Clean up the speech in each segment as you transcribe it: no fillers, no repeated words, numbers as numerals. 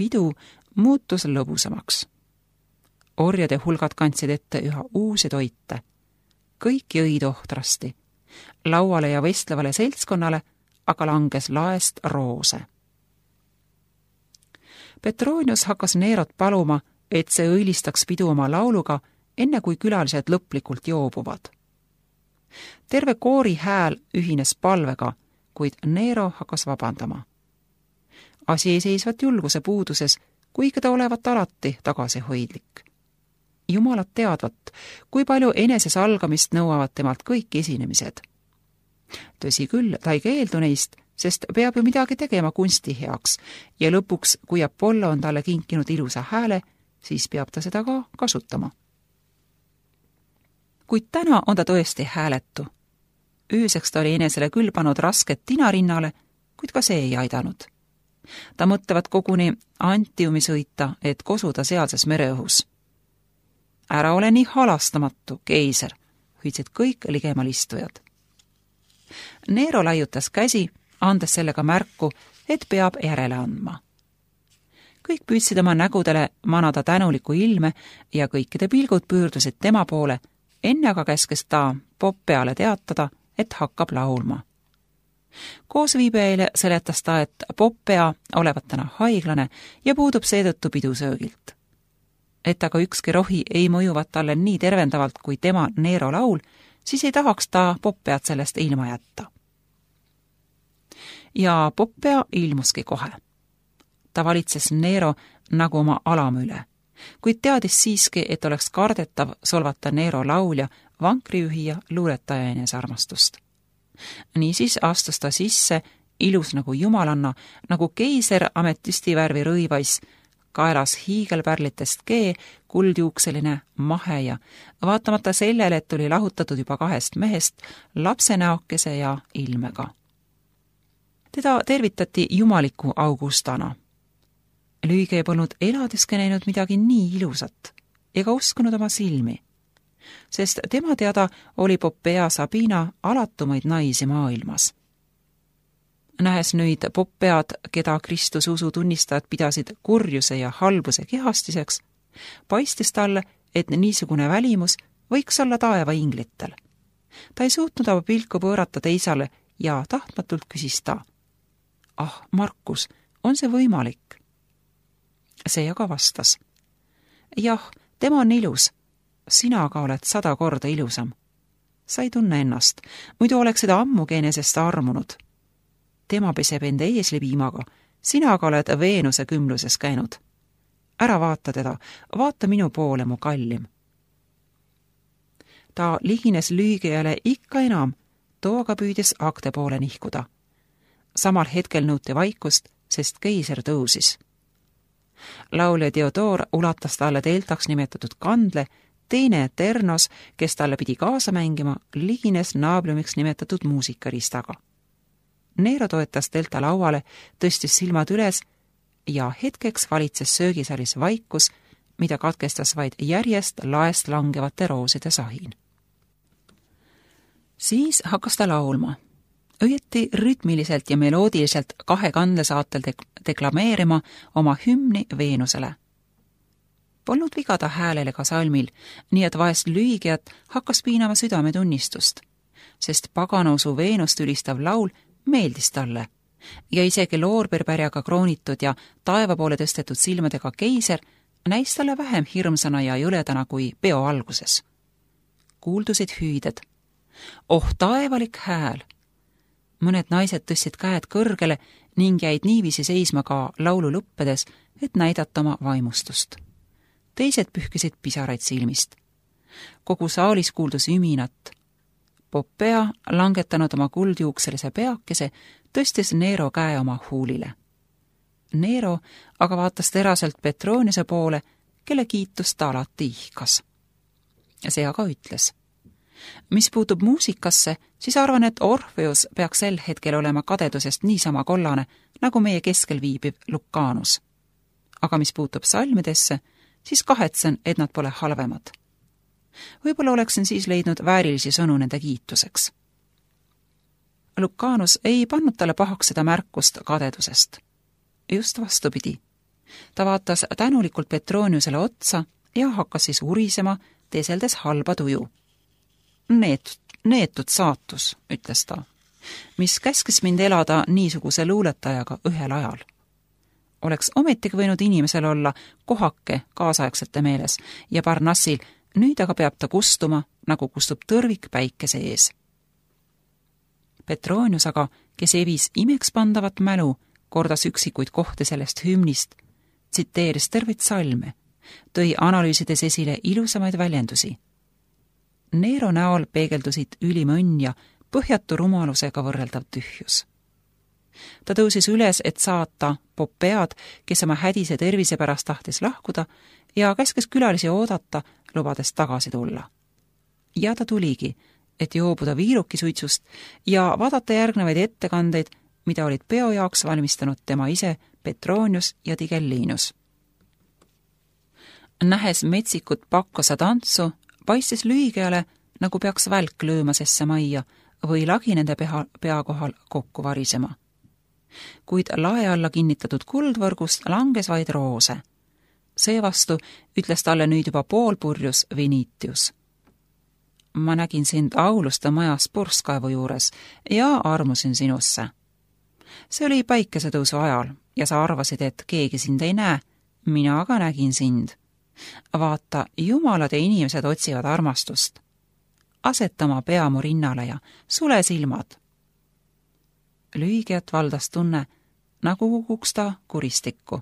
pidu muutus lõbusamaks. Orjade hulgad kandsid ette üha uusi toite. Kõik jõid ohtrasti. Lauale ja vestlevale seltskonnale aga langes laest roose. Petronius hakkas Nerot paluma, et see õilistaks pidu oma lauluga, enne kui külalised lõplikult joobuvad. Terve koori hääl ühines palvega, kuid Nero hakkas vabandama. Asi ei seisvat julguse puuduses, kuigi ta olevat alati tagasihoidlik. Jumalad teadvat, kui palju enesesalgamist nõuavad temalt kõik esinemised. Tõsi küll, ta ei keeldu neist, sest peab ju midagi tegema kunsti heaks ja lõpuks, kui Apollo on talle kinkinud ilusa hääle, siis peab ta seda ka kasutama. Kuid täna on ta tõesti hääletu. Ööseks ta oli enesele küll pannud rasket tinarinnale, kuid ka see ei aidanud. Ta mõtlevad koguni Antiumi sõita, et kosuda sealses mereõhus. Ära ole nii halastamatu, keiser, hüüdsid kõik ligemal istujad. Nero laiutas käsi, andes sellega märku, et peab järele andma. Kõik püüdsid oma nägudele manada tänuliku ilme ja kõikide pilgud pöördusid tema poole, enne aga käskes ta Poppeale teatada, et hakkab laulma. Koosviibijaile seletas ta, et Poppea olevat täna haiglane ja puudub seetõttu pidusöögilt. Et aga ükski rohi ei mõjuvat talle nii tervendavalt kui tema Nero laul, siis ei tahaks ta Poppeat sellest ilma jätta. Ja Poppea ilmuski kohe. Ta valitses Nero nagu oma alama üle, kuid teadis siiski, et oleks kardetav solvata Nero laulja, vankriühija, luuletaja enesarmastust. Niisiis astus ta sisse, ilus nagu jumalanna, nagu keiser ametüstivärvi rõivais, kaelas hiigelpärlitest kee, kuldjuukseline, mahe ja vaatamata sellele, et oli lahutatud juba 2 mehest, lapsenäokese ja ilmega. Teda tervitati jumaliku Augustana. Lüüge polnud eladeski näinud midagi nii ilusat ega uskunud oma silmi, sest tema teada oli Poppea Sabina alatumaid naisi maailmas. Nähes nüüd Poppead, keda Kristus usu tunnistajad pidasid kurjuse ja halbuse kehastiseks, paistis talle, et niisugune välimus võiks olla taeva inglitel. Ta ei suutnud oma pilku pöörata teisale ja tahtmatult küsis ta: "Ah, Markus, on see võimalik?" See aga vastas: "Jah, tema on ilus. Sina aga oled 100 korda ilusam. Sa ei tunne ennast, muidu oleksid ammugi enesest armunud. Tema peseb enda eeslipiimaga, sina aga oled Veenuse kümluses käinud. Ära vaata teda, vaata minu poole, mu kallim." Ta ligines lüügijale ikka enam, too aga püüdis akte poole nihkuda. Samal hetkel nõuti vaikust, sest keiser tõusis. Laulja Theodor ulatas talle deltaks nimetatud kandle, teine Ternos, kes talle pidi kaasa mängima, ligines naabliumiks nimetatud muusikaristaga. Nero toetas delta lauale, tõstis silmad üles ja hetkeks valitses söögisaalis vaikus, mida katkestas vaid järjest laest langevate rooside sahin. Siis hakkas ta laulma. Õieti rütmiliselt ja meloodiliselt 2 kandlesaatel deklameerima oma hümni Veenusele. Polnud vigada häälele ka salmil, nii et vahest lüügijat hakkas piinama südametunnistust, sest paganausu Veenust ülistav laul meeldis talle ja isegi loorberpärjaga kroonitud ja taeva poole tõstetud silmadega keiser näis talle vähem hirmsana ja jõledana kui peo alguses. Kuuldusid hüüded. Oh, taevalik hääl! Mõned naised tõstsid käed kõrgele ning jäid niiviisi seisma ka laulu lõppedes, et näidata oma vaimustust. Teised pühkisid pisaraid silmist. Kogu saalis kuuldus üminat. Poppea, langetanud oma kuldjuukselise peakese, tõstis Nero käe oma huulile. Nero aga vaatas teraselt Petroniuse poole, kelle kiitust ta alati ihkas. See aga ütles: "Mis puutub muusikasse, siis arvan, et Orfeus peaks sel hetkel olema kadedusest niisama kollane, nagu meie keskel viibiv Lucanus. Aga mis puutub salmidesse, siis kahetsen, et nad pole halvemad. Võib-olla oleksin siis leidnud väärilisi sõnu nende kiituseks." Lucanus ei pannud talle pahaks seda märkust kadedusest. Just vastupidi. Ta vaatas tänulikult Petroniusele otsa ja hakkas siis urisema, teeseldes halba tuju. Neetud saatus, ütles ta, mis käskis mind elada niisuguse luuletajaga ühel ajal. Oleks ometigi võinud inimesel olla kohake kaasaegsete meeles ja Parnassil nüüd aga peab ta kustuma, nagu kustub tõrvik päikese ees. Petronius aga, kes evis imekspandavat mälu, kordas üksikuid kohti sellest hümnist, tsiteeris terveid salme, tõi analüüsides esile ilusamaid väljendusi. Nero näol peegeldusid ülim õnn ja põhjatu rumalusega võrreldav tühjus. Ta tõusis üles, et saata Poppead, kes oma hädise tervise pärast tahtis lahkuda, ja käskes külalisi oodata, lubades tagasi tulla. Ja ta tuligi, et joobuda viirukisuitsust ja vaadata järgnevaid ettekandeid, mida olid peo jaoks valmistanud tema ise Petronius ja Tigellinus. Nähes metsikut pakkosa tantsu, paistis Lüigeale, nagu peaks välk lööma sesse majja või lagi nende pea kohal kokku varisema. Kuid lae alla kinnitatud kuldvõrgust langes vaid roose. Seevastu ütles talle nüüd juba poolpurjus Vinitius. Ma nägin sind Auluste majas purskkaevu juures ja armusin sinusse. See oli päikesetõusu ajal ja sa arvasid, et keegi sind ei näe, mina aga nägin sind. Vaata, jumalad ja inimesed otsivad armastust. Aseta oma pea mu rinnale ja sule silmad. Lüigiat valdas tunne, nagu kukuks ta kuristikku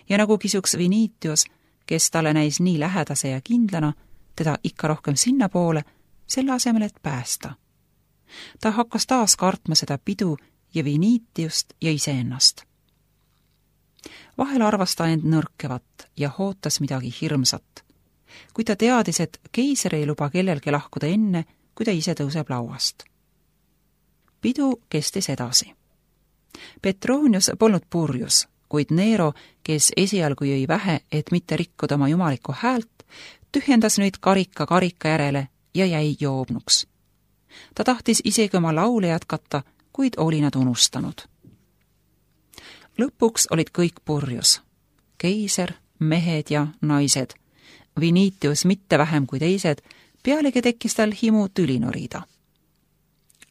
ja nagu kisuks Vinitius, kes talle näis nii lähedase ja kindlana, teda ikka rohkem sinna poole, selle asemel, et päästa. Ta hakkas taas kartma seda pidu ja Vinitiust ja iseennast. Vahel arvas ta end nõrkevat ja hootas midagi hirmsat, kui ta teadis, et keiser ei luba kellelgi lahkuda enne, kui ta ise tõuseb lauast. Pidu kestis edasi. Petronius polnud purjus, kuid Nero, kes esialgu jõi vähe, et mitte rikkuda oma jumalikku häält, tühjendas nüüd karika järele ja jäi joobnuks. Ta tahtis isegi oma laule jätkata, kuid oli nad unustanud. Lõpuks olid kõik purjus. Keiser, mehed ja naised. Vinitius mitte vähem kui teised, pealegi tekkis tal himu tüli norida.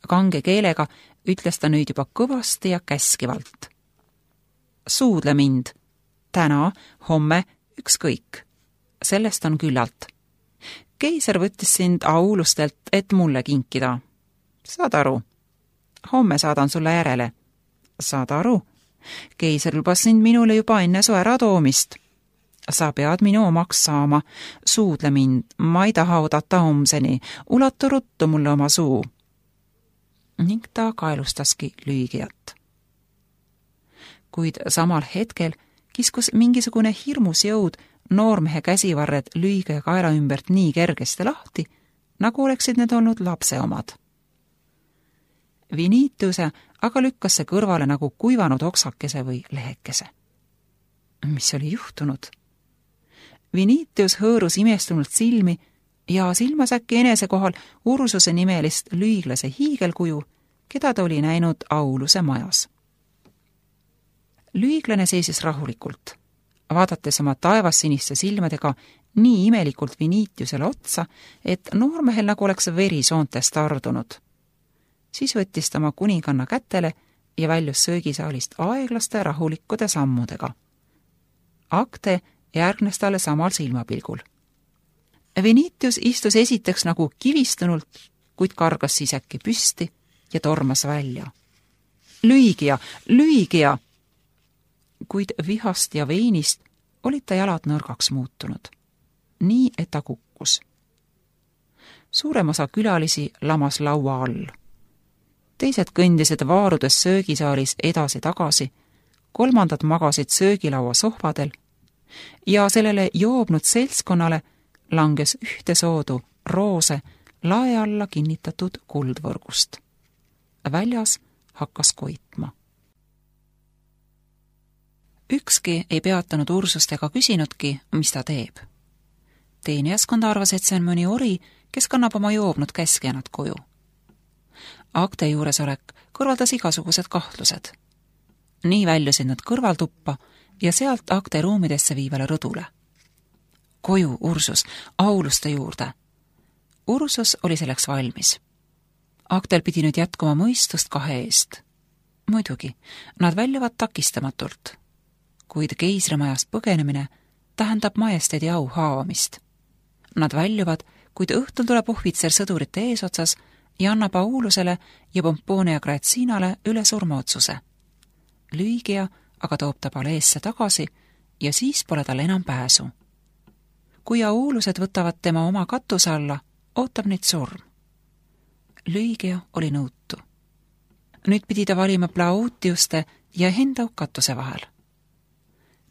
Kange keelega ütles ta nüüd juba kõvasti ja käskivalt. Suudle mind. Täna, homme, ükskõik. Sellest on küllalt. Keiser võttis sind Aulustelt, et mulle kinkida. Saad aru? Homme saadan sulle järele. Saad aru? Keiser lubas sind minule juba enne su äratoomist. Sa pead minu omaks saama. Suudle mind, ma ei taha oodata homseni. Ulatu ruttu mulle oma suu. Ning ta kaelustaski Lüigiat. Kuid samal hetkel kiskus mingisugune hirmus jõud noormehe käsivarred Lüige kaela ümbert nii kergesti lahti, nagu oleksid need olnud lapse omad. Vinitiuse aga lükkas see kõrvale nagu kuivanud oksakese või lehekese. Mis oli juhtunud? Vinitius hõõrus imestunult silmi ja silmas äkki enese kohal Ursuse nimelist lüiglase hiigelkuju, keda ta oli näinud Auluse majas. Lüiglane seisis rahulikult, vaadates oma taevassiniste silmadega nii imelikult Vinitiusele otsa, et noormehel nagu oleks veri soontest ardunud. Siis võttis ta oma kuninganna kätele ja väljus söögisaalist aeglaste rahulikkude sammudega. Akte järgnes talle samal silmapilgul. Vinitius istus esiteks nagu kivistunult, kuid kargas siis äkki püsti ja tormas välja. Lüigia! Lüigia! Kuid vihast ja veinist olid ta jalad nõrgaks muutunud. Nii, et ta kukkus. Suurem osa külalisi lamas laua all. Teised kõndisid vaarudes söögisaalis edasi-tagasi, kolmandad magasid söögilaua sohvadel ja sellele joobnud seltskonnale langes ühte soodu roose lae alla kinnitatud kuldvõrgust. Väljas hakkas koitma. Ükski ei peatanud Ursust ega küsinudki, mis ta teeb. Teenijaskond arvas, et see on mõni ori, kes kannab oma joobnud käskjänad koju. Akte juuresolek kõrvaldas igasugused kahtlused. Nii väljusid nad kõrvaltuppa ja sealt Acte ruumidesse viivale rõdule. Koju Ursus, auluste juurde. Ursus oli selleks valmis. Actel pidi nüüd jätkuma mõistust kahe eest. Muidugi, nad väljuvad takistamatult, kuid keisrimajast põgenemine tähendab majesteedi au haavamist. Nad väljuvad, kuid õhtul tuleb ohvitser sõdurite eesotsas ja annab Aulusele ja Pomponia Grazinale üle surmaotsuse. Lygia aga toob ta paleesse tagasi ja siis pole tal enam pääsu. Kui Aulused võtavad tema oma katuse alla, ootab neid surm. Lygia oli nõutu. Nüüd pidi ta valima Plautiuste ja enda katuse vahel.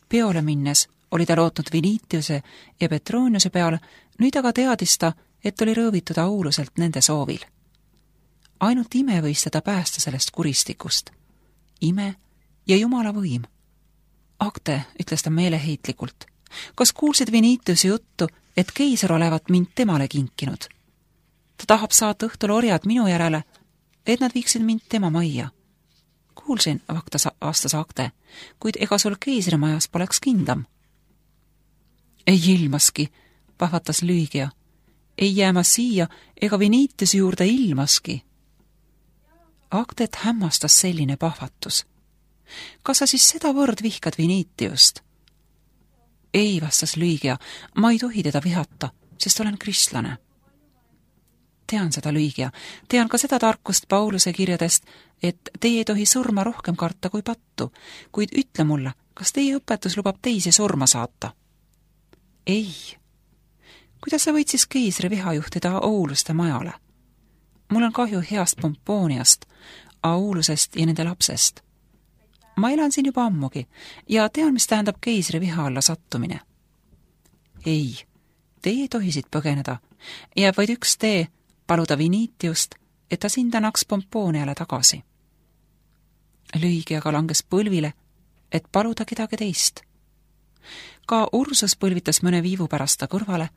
Peole minnes oli ta lootnud Vinitiuse ja Petroniuse peale, nüüd aga teadis ta, et oli rõõvitud Auluselt nende soovil. Ainult ime võis teda päästa sellest kuristikust. Ime ja Jumala võim. Acte, ütles ta meeleheitlikult, kas kuulsid Vinitiuse juttu, et keiser olevat mind temale kinkinud? Ta tahab saata õhtul orjad minu järele, et nad viiksid mind tema majja. Kuulsin, vastas Acte, kuid ega sul keisrimajas poleks kindlam. Ei ilmaski, pahvatas Lygia. Ei jääma siia ega Vinitiuse juurde ilmaski. Actet hämmastas selline pahvatus. Kas sa siis sedavõrd vihkad Vinitiust? Ei, vastas Lygia, ma ei tohi teda vihata, sest olen kristlane. Tean seda, Lygia, tean ka seda tarkust Pauluse kirjadest, et teie ei tohi surma rohkem karta kui pattu, kuid ütle mulle, kas teie õpetus lubab teisi surma saata? Ei. Kuidas sa võid siis keisri viha juhtida Auluste majale? Mul on kahju heast Pomponiast, Aulusest ja nende lapsest. Ma elan siin juba ammugi ja tean, mis tähendab keisri viha alla sattumine. Ei, teie ei tohi siit põgeneda. Jääb vaid üks tee, paluda Vinitiust, et ta sind annaks Pomponiale tagasi. Lygiaga langes põlvile, et paluda kedagi teist. Ka Ursus põlvitas mõne viivu pärast ta kõrvale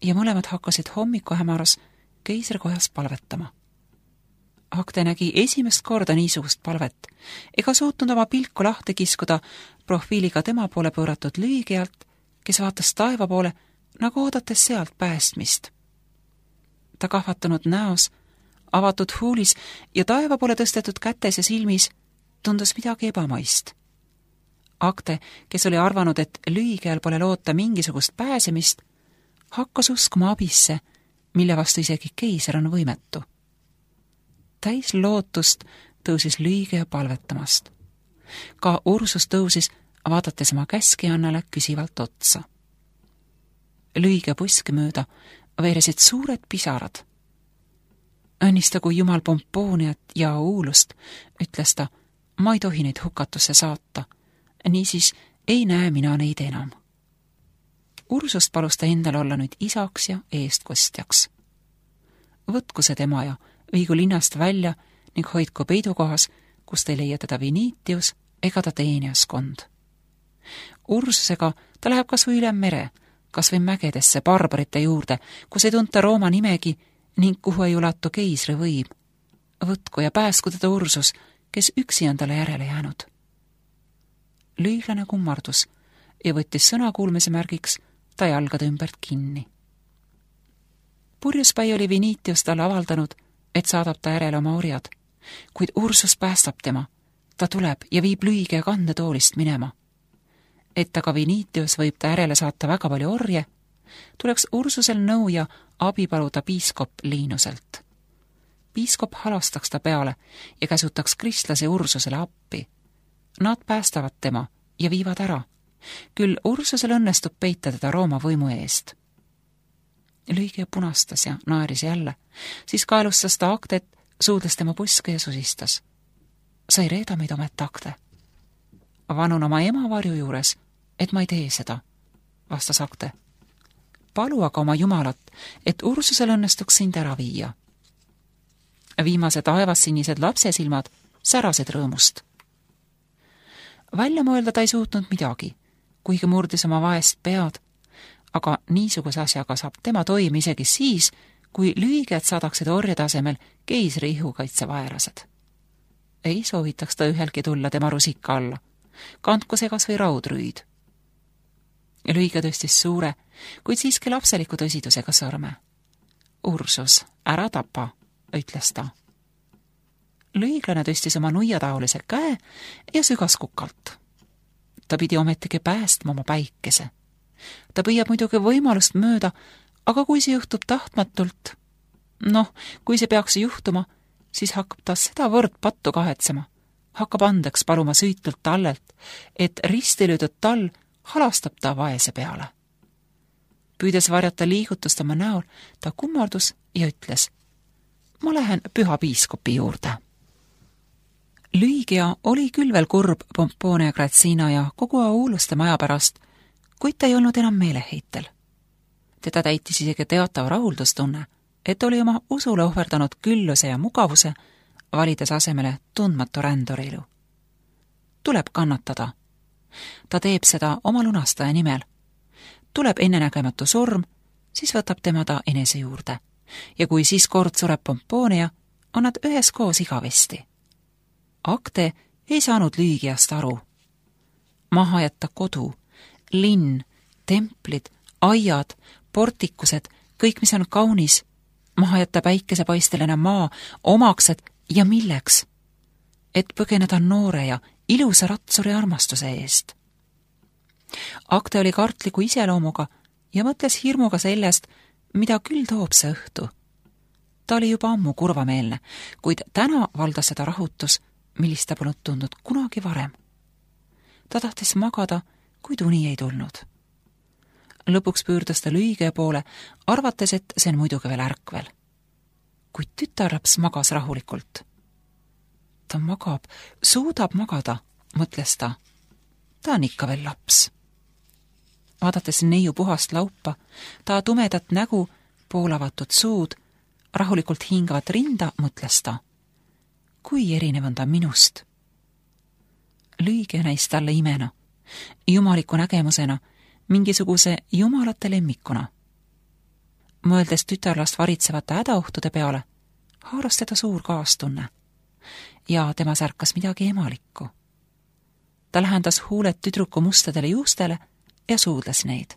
ja mõlemad hakkasid hommikuhämaras keisrikojas palvetama. Acte nägi esimest korda niisugust palvet ega suutnud oma pilku lahti kiskuda profiiliga tema poole pööratud Lygialt, kes vaatas taeva poole, nagu oodates sealt päästmist. Ta kahvatanud näos, avatud huulis ja taeva poole tõstetud kätes ja silmis tundus midagi ebamaist. Acte, kes oli arvanud, et Lygial pole loota mingisugust pääsemist, hakkas uskuma abisse, mille vastu isegi keiser on võimetu. Täis lootust tõusis Lygia palvetamast. Ka Ursus tõusis, vaadates oma käskijannale küsivalt otsa. Lygia puski mööda veeresid suured pisarad. Õnnistagu Jumal Pomponiat ja Aulust, ütles ta, ma ei tohi neid hukatusse saata, niisiis ei näe mina neid enam. Ursust palus ta endal olla nüüd isaks ja eestkostjaks. Võtku see tema ja viigu linnast välja ning hoidku peidukohas, kus ta ei leia teda Vinitius ega ta teenijaskond. Ursusega ta läheb kas või üle mere, kas või mägedesse barbarite juurde, kus ei tunta Rooma nimegi ning kuhu ei ulatu keisri võim. Võtku ja pääsku teda Ursus, kes üksi on talle järele jäänud. Lüüglane kummardus ja võttis sõna kuulmise märgiks ta jalgade ümbert kinni. Purjuspäi oli Vinitius talle avaldanud, et saadab ta järele oma orjad, kuid Ursus päästab tema. Ta tuleb ja viib Lygia kandetoolist minema. Et aga Vinitius võib ta järele saata väga palju orje, tuleks Ursusel nõu ja abi paluda piiskop Liinuselt. Piiskop halastaks ta peale ja käsutaks kristlase Ursusele appi. Nad päästavad tema ja viivad ära. Küll Ursusel õnnestub peita teda Rooma võimu eest. Lygia punastas ja naeris jälle, siis kaelustas ta Actet, suudles tema puske ja susistas. Sa ei reeda meid omet, Acte. Vanun oma ema varju juures, et ma ei tee seda, vastas Acte. Palu aga oma Jumalat, et Ursusel õnnestuks sind ära viia. Viimased taevassinised lapsesilmad särasid rõõmust. Välja mõelda ta ei suutnud midagi, kuigi murdis oma vaest pead, aga niisuguse asjaga saab tema toime isegi siis, kui Lygiat saadaksid orjade asemel keisri ihukaitsevaelased. Ei soovitaks ta ühelgi tulla tema rusika alla, kandku see kas või raudrüüd. Lüiga tõstis suure, kuid siiski lapseliku tõsidusega sõrme. Ursus, ära tapa, ütles ta. Lüiglane tõstis oma nuiataolise käe ja sügas kukalt. Ta pidi ometigi päästma oma päikese. Ta püüab muidugi võimalust mööda, aga kui see juhtub tahtmatult, kui see peaks juhtuma, siis hakkab ta sedavõrd pattu kahetsema, hakkab andeks paluma süütult tallelt, et ristilöödud tall halastab ta vaese peale. Püüdes varjata liigutust oma näol, ta kummardus ja ütles, ma lähen püha piiskopi juurde. Lüigia oli küll veel kurb Pomponia Grazina ja kogu Auluste maja pärast, kuid ta ei olnud enam meeleheitel. Teda täitis isegi teatav rahuldustunne, et oli oma usule ohverdanud külluse ja mugavuse, valides asemele tundmatu rändurilu. Tuleb kannatada. Ta teeb seda oma lunastaja nimel. Tuleb ennenägematu surm, siis võtab tema ta enese juurde. Ja kui siis kord sureb Pomponia, on nad üheskoos igavesti. Acte ei saanud Lüigiast aru. Maha jätta kodu, linn, templid, aiad, portikused, kõik, mis on kaunis, maha jätta päikesepaisteline maa, omaksed ja milleks? Et põgeneda noore ja ilusa ratsuri armastuse eest. Acte oli kartliku iseloomuga ja mõtles hirmuga sellest, mida küll toob see õhtu. Ta oli juba ammu kurvameelne, kuid täna valdas seda rahutus, millist ta polnud tundnud kunagi varem. Ta tahtis magada, kuid uni ei tulnud. Lõpuks püürdus ta Lüigia poole, arvates, et see on muidugi veel ärkvel. Kuid tütarlaps magas rahulikult. Ta magab, suudab magada, mõtles ta. Ta on ikka veel laps. Vaadates neiu puhast laupa, ta tumedat nägu, poolavatud suud, rahulikult hingavat rinda, mõtles ta. Kui erinev on ta minust. Lüigia näis talle imena, jumaliku nägemusena, mingisuguse jumalate lemmikuna. Mõeldes tütarlast varitsevate hädaohtude peale, haaras teda suur kaastunne ja tema särkas midagi emalikku. Ta lähendas huuled tüdruku mustadele juustele ja suudles neid.